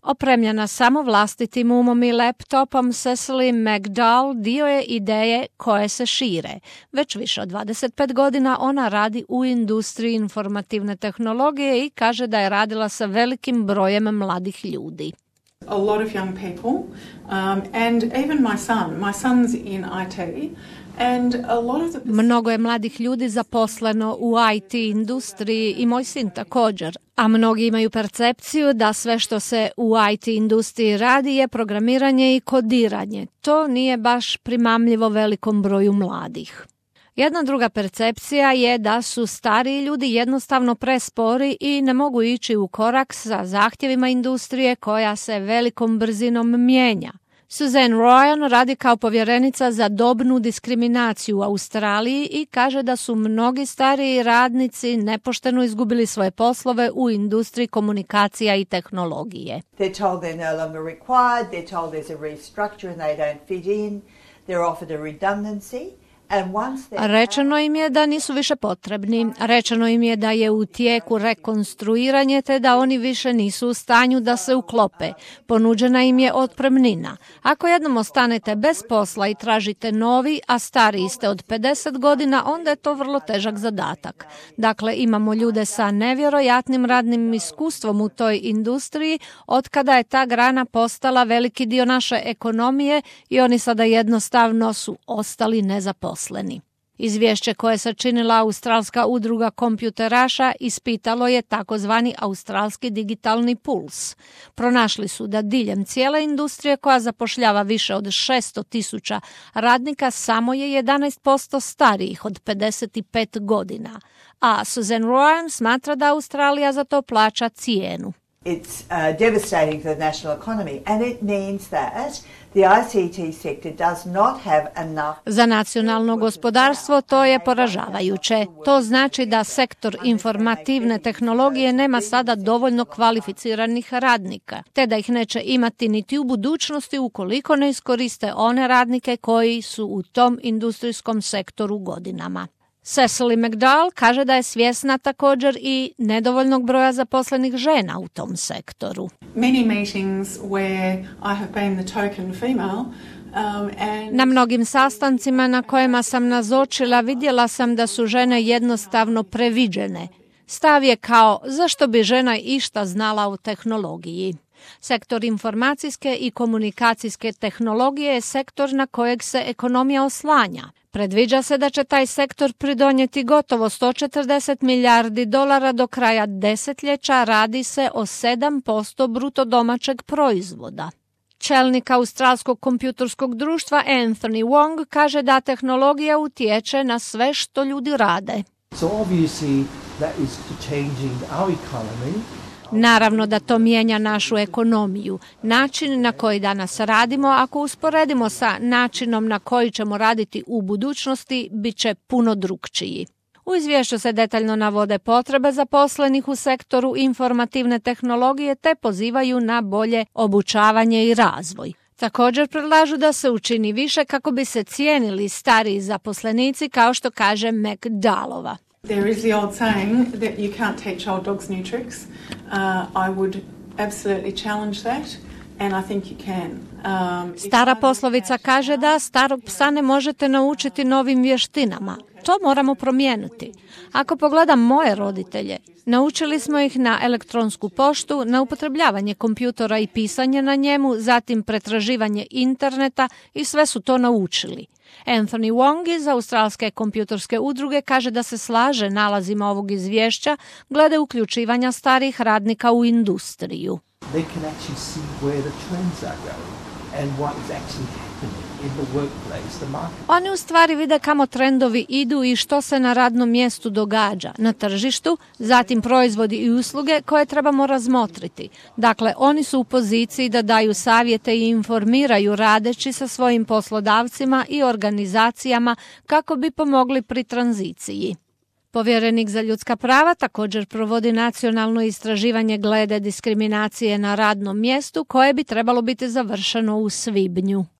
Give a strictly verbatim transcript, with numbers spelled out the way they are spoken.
Opremljena samo vlastitim umom i laptopom, Cecily McDowell dio je ideje koje se šire. Već više od dvadeset pet godina ona radi u industriji informativne tehnologije i kaže da je radila sa velikim brojem mladih ljudi. A lot of young people, um, and even my son. My son's in I T. And a lot of the... Mnogo je mladih ljudi zaposleno u I T industriji i moj sin također, a mnogi imaju percepciju da sve što se u I T industriji radi je programiranje i kodiranje. To nije baš primamljivo velikom broju mladih. Jedna druga percepcija je da su stariji ljudi jednostavno prespori i ne mogu ići u korak sa zahtjevima industrije koja se velikom brzinom mijenja. Suzanne Ryan radi kao povjerenica za dobnu diskriminaciju u Australiji i kaže da su mnogi stariji radnici nepošteno izgubili svoje poslove u industriji komunikacija i tehnologije. They're told they're no longer required, they're told there's a restructure and they don't fit in, they're offered a redundancy. Rečeno im je da nisu više potrebni. Rečeno im je da je u tijeku rekonstruiranje te da oni više nisu u stanju da se uklope. Ponuđena im je otpremnina. Ako jednom ostanete bez posla i tražite novi, a stariji ste od pedeset godina, onda je to vrlo težak zadatak. Dakle, imamo ljude sa nevjerojatnim radnim iskustvom u toj industriji od kada je ta grana postala veliki dio naše ekonomije i oni sada jednostavno su ostali nezaposleni. Izvješće koje je sačinila Australska udruga kompjuteraša ispitalo je takozvani Australski digitalni puls. Pronašli su da diljem cijele industrije koja zapošljava više od šesto tisuća radnika samo je jedanaest posto starijih od pedeset pet godina. A Suzanne Ryan smatra da Australija za to plaća cijenu. It's uh, devastating for the national economy and it means that the I C T sector does not have enough. Za nacionalno gospodarstvo to je poražavajuće. To znači da sektor informativne tehnologije nema sada dovoljno kvalificiranih radnika, te da ih neće imati niti u budućnosti ukoliko ne iskoriste one radnike koji su u tom industrijskom sektoru godinama. Cecily McDowell kaže da je svjesna također i nedovoljnog broja zaposlenih žena u tom sektoru. Many meetings where I have been the token female. Um, and... Na mnogim sastancima na kojima sam nazočila vidjela sam da su žene jednostavno previđene. Stav je kao zašto bi žena išta znala o tehnologiji. Sektor informacijske i komunikacijske tehnologije je sektor na kojeg se ekonomija oslanja. Predviđa se da će taj sektor pridonijeti gotovo sto četrdeset milijardi dolara do kraja desetljeća, radi se o sedam posto bruto domaćeg proizvoda. Čelnik Australskog kompjuterskog društva Anthony Wong kaže da tehnologija utječe na sve što ljudi rade. So obviously that is changing our economy. Naravno da to mijenja našu ekonomiju. Način na koji danas radimo, ako usporedimo sa načinom na koji ćemo raditi u budućnosti, bit će puno drukčiji. U izvješću se detaljno navode potrebe zaposlenih u sektoru informativne tehnologije te pozivaju na bolje obučavanje i razvoj. Također predlažu da se učini više kako bi se cijenili stariji zaposlenici, kao što kaže McDowellova. There is the old saying that you can't teach old dogs new tricks. Uh, I would absolutely challenge that. And I think you can. Um, Stara poslovica kaže da starog psa ne možete naučiti novim vještinama. To moramo promijeniti. Ako pogledam moje roditelje, naučili smo ih na elektronsku poštu, na upotrebljavanje kompjutora i pisanje na njemu, zatim pretraživanje interneta i sve su to naučili. Anthony Wong iz Australske kompjuterske udruge kaže da se slaže nalazima ovog izvješća glede uključivanja starih radnika u industriju. They can actually see where the trends are going and what is actually happening in the workplace, the market. Oni u stvari vide kamo trendovi idu i što se na radnom mjestu događa, na tržištu, zatim proizvodi i usluge koje trebamo razmotriti. Dakle, oni su u poziciji da daju savjete i informiraju radeći sa svojim poslodavcima i organizacijama kako bi pomogli pri tranziciji. Povjerenik za ljudska prava također provodi nacionalno istraživanje glede diskriminacije na radnom mjestu koje bi trebalo biti završeno u svibnju.